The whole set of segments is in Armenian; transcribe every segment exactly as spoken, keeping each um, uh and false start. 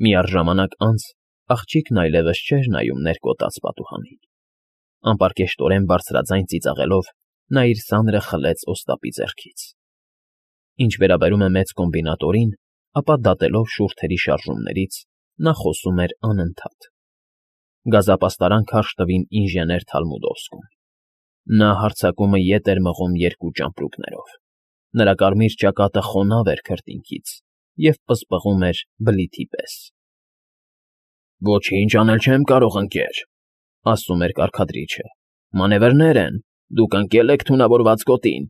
Միառժամանակ անց աղջիկն այլևս չէր նայում ներկոտած պատուհանին. անպարկեշտորեն բարձրաձայն ծիծաղելով նա իր սանրը խլեց օստապի ձեռքից. ինչ վերաբերում է մեծ կոմբինատորին, ապա դատելով շուրթերի շարժումներից, նա խոսում էր անընդհատ. գազապաստարան քարշ տվին ինժեներ Թալմուդովսկում. նա հարձակումը ետ էր մղում երկու ճամպրուկներով, նրա կարմիր ճակատը խոնավ էր քրտինքից և պսպղում էր բլիթի պես։ Ոչինչ անել չեմ կարող, ընկեր, ասում էր կարգադրիչը, մանևրներ են, դուք ընկել եք թունավորված գոտին։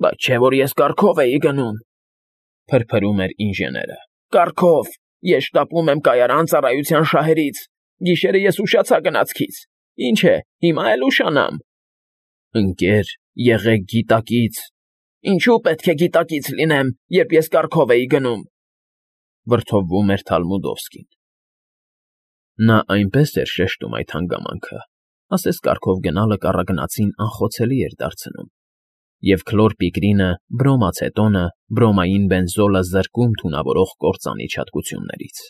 Բայց չէ՞ որ ես կառքով էի գնում, փրփրում էր ինժեները, կառքով, ես շտապում եմ կայարան ծառայության շահերից, գիշերը ես ուշացա գնացքից, ինչ է, հիմա էլ ուշանամ։ Ընկեր, եղեք գիտակից։ Ինչու պետք է գիտակից լինեմ, երբ ես կառքով էի գնում, վրդովվում էր Թալմուդովսկին։ Նա այնպես էր շեշտում այդ հանգամանքը, ասես կառքով գնալը կառագնացին անխոցելի էր դարձնում, և քլորպիկրինը, բրոմացետոնը, բրոմային բենզոլը զրկում թունավորող կործանի չափություններից։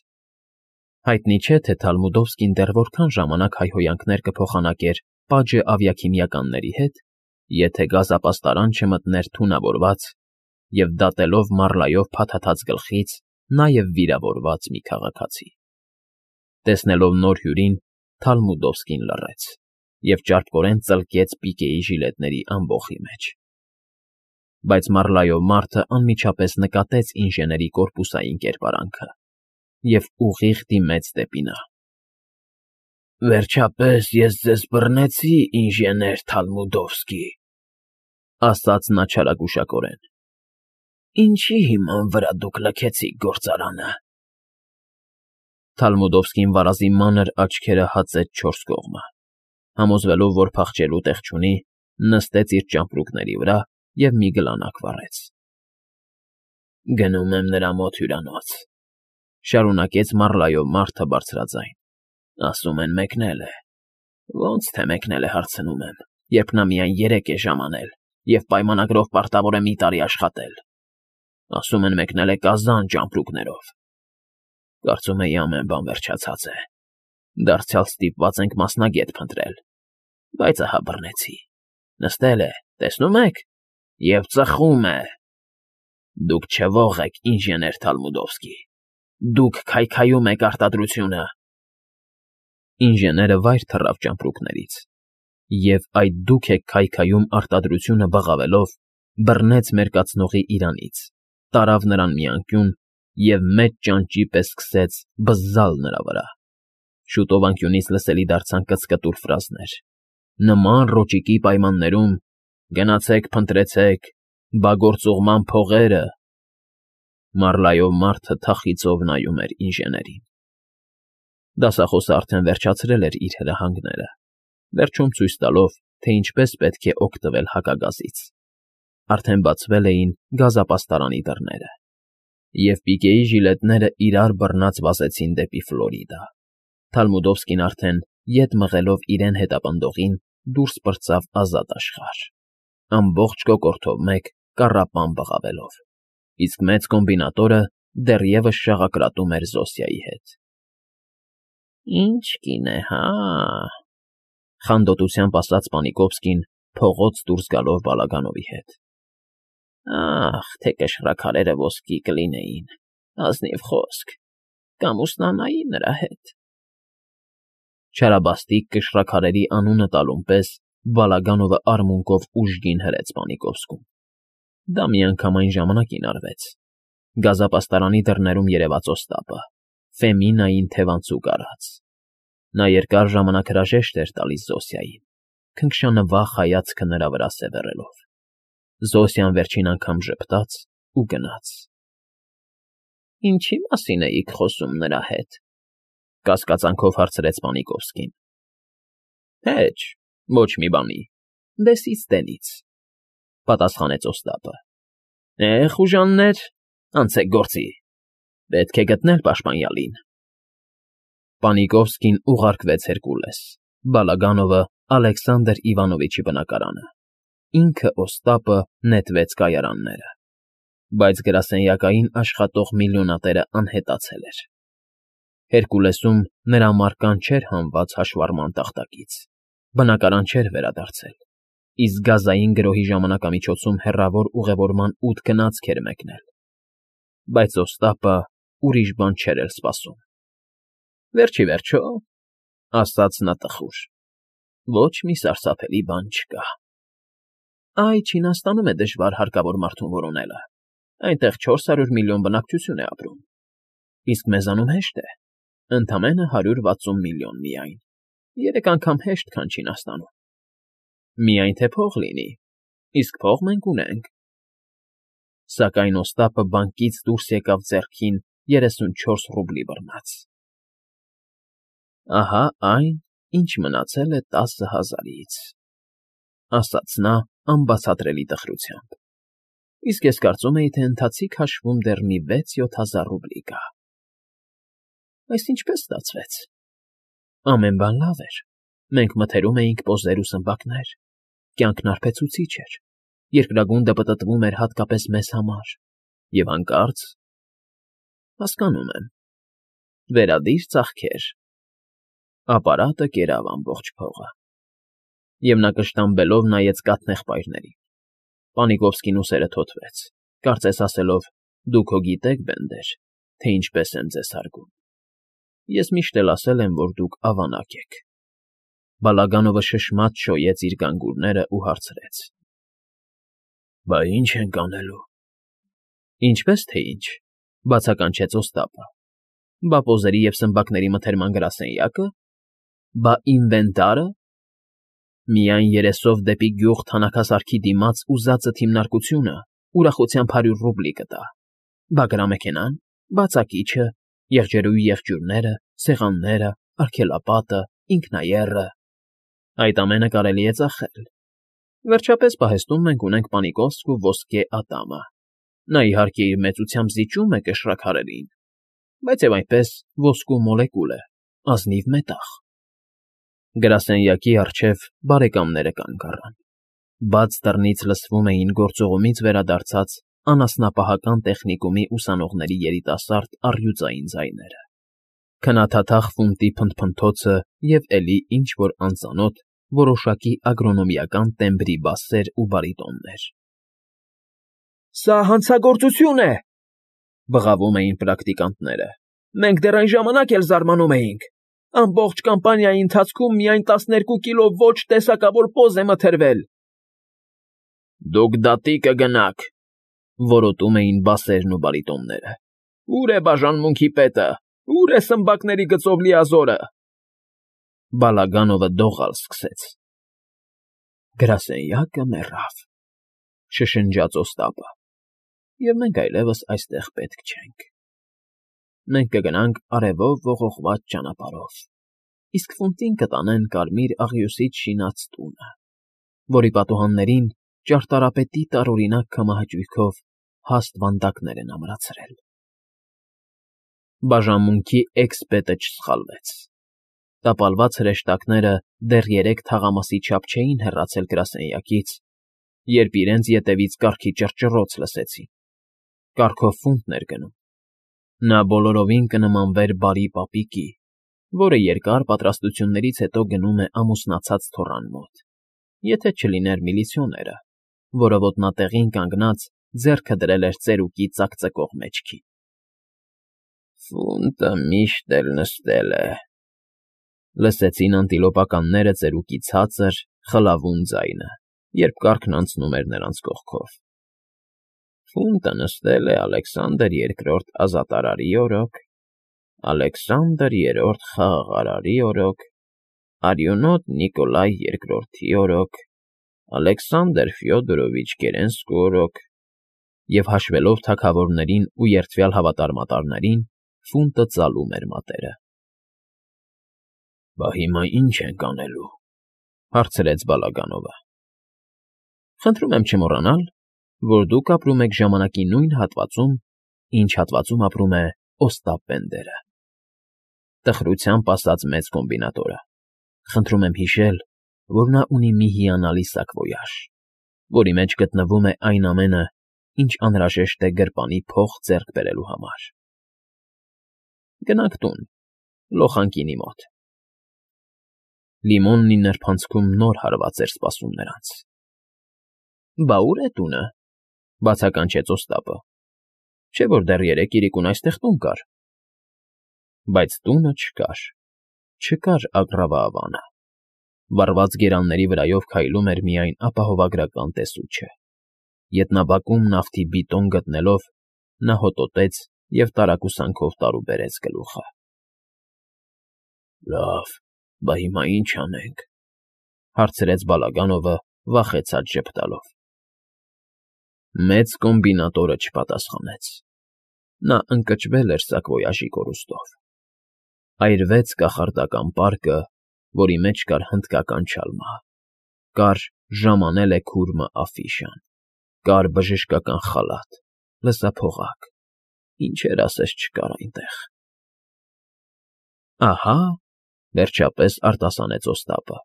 Հայտնի չէ, թե Թալմուդովսկին դեռ որքան ժամանակ հայհոյանքներ կփոխանակեր Պաջե ավիաքիմիականների հետ, եթե գազապաստարան չմտներ թունավորված և դատելով մառլայով փաթաթած գլխից նաև վիրավորված մի քաղաքացի։ Տեսնելով նոր հյուրին, Թալմուդովսկին լռեց և ճարպկորեն ծլկեց պիկեի ժիլետների ամբոխի մեջ։ Բայց մառլայով մարդը անմիջապես նկատեց ինժեների կորպուսային կերպարանքը և ուղիղ դիմեց դեպի նա։ Վերջապես ես ձեզ բռնեցի, ինժեներ Թալմուդովսկի, ասաց նա չարագուշակորեն։ Ինչի հիման վրա դուք լքեցիք գործարանը։ Թալմուդովսկին վարազի մանր աչքերը հացեց չորս կողմը, համոզվելով, որ փախչելու տեղ չունի, նստեց իր ճամպրուկների վրա և մի գլանակ վառեց։ Գնում եմ նրա մոտ հյուրանոց, շարունակեց մառլայով մարդը բարձրաձայն, ասում են մեկնել է։ Ոնց թե մեկնել է, հարցնում եմ, երբ նա միայն երեք է ժամանել և պայմանագրով պարտավոր է մի տարի աշխատել։ Ասում են մեկնել է Կազան ճամպրուկներով։ Կարծում էի ամեն բան վերջացած է, դարձյալ ստիպված ենք մասնագետ փնտրել, բայց ահա բռնեցի, նստել է, տեսնում եք, և ծխում է։ Դուք չվող եք, ինժեներ Թալմուդովսկի, դուք քայքայում եք արտադրությունը։ Ինժեները վայր թռավ ճամպրուկներից, և այդ դուք եք քայքայում արտադրությունը բղավելով, բռնեց մերկացնողի իրանից, տարավ նրան մի անկյուն և մեծ ճանճի պես սկսեց բզզալ նրա վրա։ Շուտով անկյունից լսելի դարձան կծկտուր ֆրազներ, նման ռոճիկի պայմաններում գնացեք փնտրեցեք բա գործուղման փողերը։ Մառլայով մարդը թախիծով նայում էր ինժեներին։ Դասախոսը արդեն վերջացրել էր իր հրահանգները, վերջում ցույց տալով, թե ինչպես պետք է օգտվել հակագազից։ Արդեն բացվել էին գազապաստարանի դռները, և պիկեի ժիլետները իրար բռնած վազեցին դեպի Ֆլորիդա։ Թալմուդովսկին արդեն, ետ մղելով իրեն հետապնդողին, դուրս պրծավ ազատ աշխարհ, ամբողջ կոկորդով մեկ կառապան բղավելով, իսկ մեծ կոմբինատորը դեռևս շաղակրատում էր Զոսիայի հետ։ Ինչ կին է, հա՞, խանդոտությամբ ասաց Պանիկովսկին, փողոց դուրս գալով Բալագանովի հետ։ Ախ, թե կշռաքարերը ոսկի կլինեին, ազնիվ խոսք, կամ ուսնանայի նրա հետ։ Չարաբաստիկ կշռաքարերի անունը տալուն պես Բալագանովը արմունկով ուժգին հրեց Պանիկովսկում։ Դա միանգամայն ժամանակին արվեց։ Գազապաստարանի դռներում երևաց Օստապը, Ֆեմինային թևանցուկ արած։ Նա երկար ժամանակ հրաժեշտ էր տալիս Զոսիային, քնքշանվախ հայացքը նրա վրա սևեռելով։ Զոսիան վերջին անգամ ժպտաց ու գնաց։ Ինչի՞ մասին էիք խոսում նրա հետ, կասկածանքով հարցրեց Պանիկովսկին։ Հեչ, ոչ մի բանի, դեսից դենից, պատասխանեց Օստապը։ Է, խուժաններ, անցեք գործի, պետք է գտնել պաշտպանյալին։ Պանիկովսկին ուղարկվեց Հերկուլես, Բալագանովը Ալեքսանդր Իվանովիչի բնակարանը, ինքը Օստապը նետվեց կայարանները։ բայց գրասենյակային աշխատող միլիոնատերն անհետացել էր։ Հերկուլեսում նրա մարկան չէր հանված հաշվառման տախտակից, բնակարան չէր վերադարձել, իսկ գազային գրոհի ժամանակամիջոցում հեռավոր ուղևորման ութ գնացք էր մեկնել։ Բայց Օստապը ուրիշ բան չէր էլ սպասում։ Վերջ ի վերջո, ասաց նա տխուր, ոչ մի սարսափելի բան չկա։ Այ Չինաստանում է դժվար հարկավոր մարդուն որոնելը, այնտեղ չորս հարյուր միլիոն բնակչություն է ապրում, իսկ մեզանում հեշտ է, ընդամենը հարյուր վաթսուն միլիոն միայն, երեք անգամ հեշտ, քան Չինաստանում։ Միայն թե փող լինի, իսկ փող մենք ունենք։ Սակայն Օստապը բանկից դուրս եկավ ձեռքին երեսունչորս ռուբլի բռնած։ Ահա այն, ինչ մնացել է տասը հազարից, ասաց նա անբացատրելի տխրությամբ, իսկ ես կարծում էի, թե ընթացիկ հաշվում դեռ մի վեց֊յոթ հազար ռուբլի կա։ Այս ինչպես ստացվեց։ Ամեն բան լավ էր, մենք մթերում էինք պոզեր ու սմբակներ, կյանքն արբեցուցիչ էր, երկրագունդը պտտվում էր հատկապես մեզ համար, և հանկարծ… հասկանում եմ, վերադիր ծախքեր… Ապարատը կերավ ամբողջ փողը, և նա կշտամբելով նայեց կաթնեղբայրներին։ Պանիկովսկին ուսերը թոթվեց, կարծես ասելով. «Դուք հո գիտեք, բենդեր, թե ինչպես եմ ձեզ հարգում։ Ես միշտ էլ ասել եմ, որ դուք ավանակ եք»։ Բալագանովը շշմած շոյեց իր գանգուրներն ու հարցրեց. Բա ի՞նչ ենք անելու։ Ինչպես թե ինչ, բացականչեց Օստապը։ Բա պոզերի և սմբակների մթերման գրասենյակը։ Բա ինվենտարը։ Միայն երեսով դեպի գյուղ թանաքասարքի դիմաց ուզածը թիմնարկությունը ուրախությամբ հարյուր ռուբլի կտա։ Բա գրամեքենան, բա ծակիչը, եղջերուի եղջյուրները, սեղանները, արգելապատը, ինքնաեռը… Այդ ամենը կարելի է ծախել։ Վերջապես պահեստում մենք ունենք Պանիկովսկ ու ոսկե Ատամը։ Նա, իհարկե, իր մեծությամբ զիջում է կշռաքարերին, բայց և այնպես ոսկու մոլեկուլ է, ազնիվ մետաղ։ Գրասենյակի առջև բարեկամները կանգ առան։ Բաց դռնից լսվում էին գործողումից վերադարձած անասնապահական տեխնիկումի ուսանողների երիտասարդ առյուծային ձայները, քնաթաթախ ֆունտի փնթփնթոցը և էլի ինչ֊որ անծանոթ, որոշակի ագրոնոմիական տեմբրի բասեր ու բարիտոններ։ Սա հանցագործություն է,֊ բղավում էին պրակտիկանտները։ Մենք դեռ այն ժամանակ էլ զարմանում էինք։ Ամբողջ կամպանիայի ընթացքում միայն տասներկու կիլո ոչ տեսակավոր պոզ է մթերվել։ Դուք դատի կգնաք,֊ որոտում էին բասերն ու բարիտոնները։ Ո՞ւր է բաժանմունքի պետը, ո՞ւր է սմբակների գծով լիազորը։ Բալագանովը դողալ սկսեց։ Գրասենյակը մեռավ, շշնջաց Օստապը, և մենք այլևս այստեղ պետք չենք։ Մենք կգնանք արևով ողողված ճանապարհով, իսկ ֆունտին կտանեն կարմիր աղյուսից շինած տունը, որի պատուհաններին ճարտարապետի տարօրինակ քամահաճույքով հաստ վանդակներ են ամրացրել։ Բաժանմունքի էքս֊պետը չսխալվեց։ Տապալված հրեշտակները դեռ երեք թաղամասի չափ չէին հեռացել գրասենյակից, երբ իրենց ետևից կառքի ճռճռոց լսեցին։ Կառքով ֆունտն էր գնում։ Նա բոլորովին կնմանվեր բարի պապիկի, որը երկար պատրաստություններից հետո գնում է ամուսնացած թոռան մոտ, եթե չլիներ միլիցիոները, որը ոտնատեղին կանգնած ձեռքը դրել էր ծերուկի ծակծկող մեջքին։ Ֆունտը միշտ էլ նստել է,֊ լսեցին անտիլոպականները ծերուկի ցածր, խլավուն ձայնը, երբ կառքն անցնում էր նրանց կողքով։ Ֆունտը նստել է Ալեքսանդր Երկրորդ ազատարարի օրոք, Ալեքսանդր Երրորդ խաղաղարարի օրոք, արյունոտ Նիկոլայ Երկրորդի օրոք, Ալեքսանդր Ֆյոդորովիչ Կերենսկու օրոք, և հաշվելով թագավորներին ու երդվյալ հավատարմատարներին, ֆունտը ծալում էր մատերը։ Բա հիմա ի՞նչ ենք անելու,֊ հարցրեց Բալագանովը։ Խնդրում եմ չմոռանալ, որ դուք ապրում եք ժամանակի նույն հատվածում, ինչ հատվածում ապրում է Օստապ Բենդերը,֊ տխրությամբ ասաց մեծ կոմբինատորը։ Խնդրում եմ հիշել, որ նա ունի մի հիանալի սակվոյաժ, որի մեջ գտնվում է այն ամենը, ինչ անհրաժեշտ է գրպանի փող ձեռք բերելու համար։ Գնանք տուն, լոխանկինի մոտ։ Լիմոնն ի նրբանցքում նոր հարված էր սպասում նրանց։ ֊ Բա ո՞ւր է տունը,֊ բացականչեց Օստապը։ Չէ՞ որ դեռ երեկ իրիկուն այստեղ տուն կար։ Բայց տունը չկար, չկար Ագռավա Ավանը։ Վառված գերանների վրայով քայլում էր միայն ապահովագրական տեսուչը։ Ետնաբակում նավթի բիտոն գտնելով՝ նա հոտոտեց և տարակուսանքով տարուբերեց գլուխը։ ֊ Լավ, բա հիմա ի՞նչ անենք,֊ հարցրեց Բալագանովը վախեցած ժպտալով։ Մեծ կոմբինատորը չպատասխանեց։ Նա ընկճվել էր սակվոյաժի կորուստով։ Այրվեց կախարդական պարկը, որի մեջ կար հնդկական չալմա, կար «Ժամանել է քուրմը» աֆիշան, կար բժշկական խալաթ, լսափողակ, ինչեր ասես չկար այնտեղ։ ֊ Ահա,֊ վերջապես արտասանեց Օստապը,֊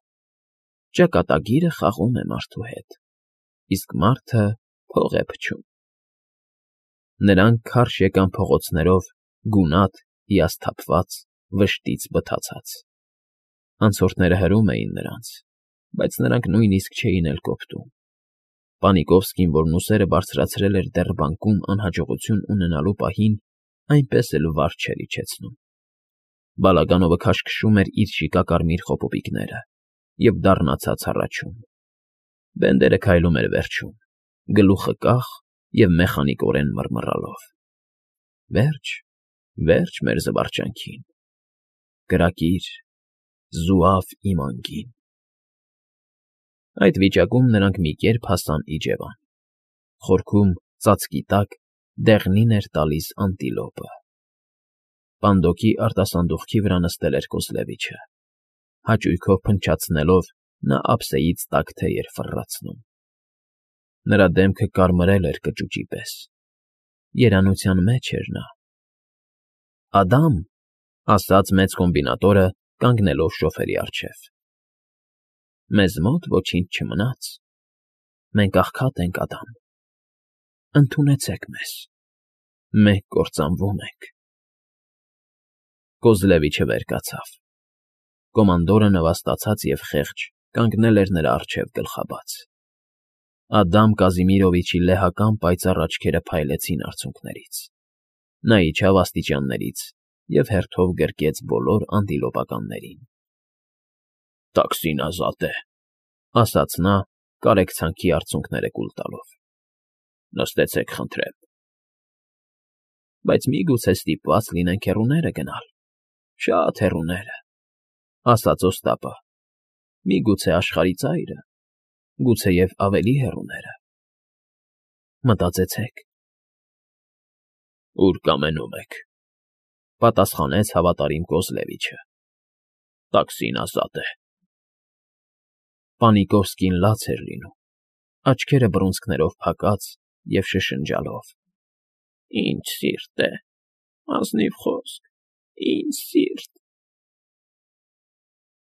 ճակատագիրը խաղում է մարդու հետ, իսկ մարդը փող է փչում։ Նրանք քարշ եկան փողոցներով, գունատ, հիասթափված, վշտից բթացած։ Անցորդները հրում էին նրանց, բայց նրանք նույնիսկ չէին էլ կոպտում։ Պանիկովսկին, որն ուսերը բարձրացրել էր դեռ բանկում անհաջողություն ունենալու պահին, այնպես էլ վար չէր իջեցնում։ Բալագանովը քաշքշում էր իր շիկակարմիր խոպոպիկները և դառնացած հառաչում։ Բենդերը քայլում էր վերջում, գլուխը կախ և մեխանիկորեն մռմռալով։ Վերջ, վերջ մեր զվարճանքին, կրակիր, զուավ իմ անգին։ Այդ վիճակում նրանք մի կերպ հասան իջևան։ Խորքում, ծածկի տակ, դեղնին էր տալիս անտիլոպը։ Պանդոկի արտասանդուղքի վրա նստել էր Կոզլևիչը։ Հաճույքով փնչացնելով՝ նա ափսեից տաք թեյ էր ֆռռացնում։ Նրա դեմքը կարմրել էր կճուճի պես։ Երանության մեջ էր նա։ ֊ Ադամ,֊ ասաց մեծ կոմբինատորը, կանգնելով շոֆերի առջև,֊ մեզ մոտ ոչինչ չմնաց, մենք աղքատ ենք, Ադամ, ընդունեցեք մեզ, մենք կործանվում ենք։ Կոզլևիչը վեր կացավ։ Կոմանդորը նվաստացած և խեղճ կանգնել էր նրա առջև գլխաբաց։ Ադամ Կազիմիրովիչի լեհական պայծառ աչքերը փայլեցին արցունքներից։ Նա իջավ աստիճաններից և հերթով գրկեց բոլոր անտիլոպականներին։ ֊ Տաքսին ազատ է,֊ ասաց նա, կարեկցանքի արցունքները կուլ տալով։ ֊ Նստեցեք, խնդրեմ։ ֊ Բայց միգուցե ստիպված լինենք հեռուները գնալ, շատ հեռուները,֊ ասաց Օստապը,֊ միգուցե աշխարհի ծայրը, գուցեև ավելի հեռուները։ Մտածեցեք։ ֊ Ուր կամենում եք,֊ պատասխանեց հավատարիմ Կոզլևիչը։ Տաքսին ազատ է։ Պանիկովսկին լաց էր լինում, աչքերը բռունցքներով փակած և շշնջալով. Ինչ սիրտ է, ազնիվ խոսք, ինչ սիրտ։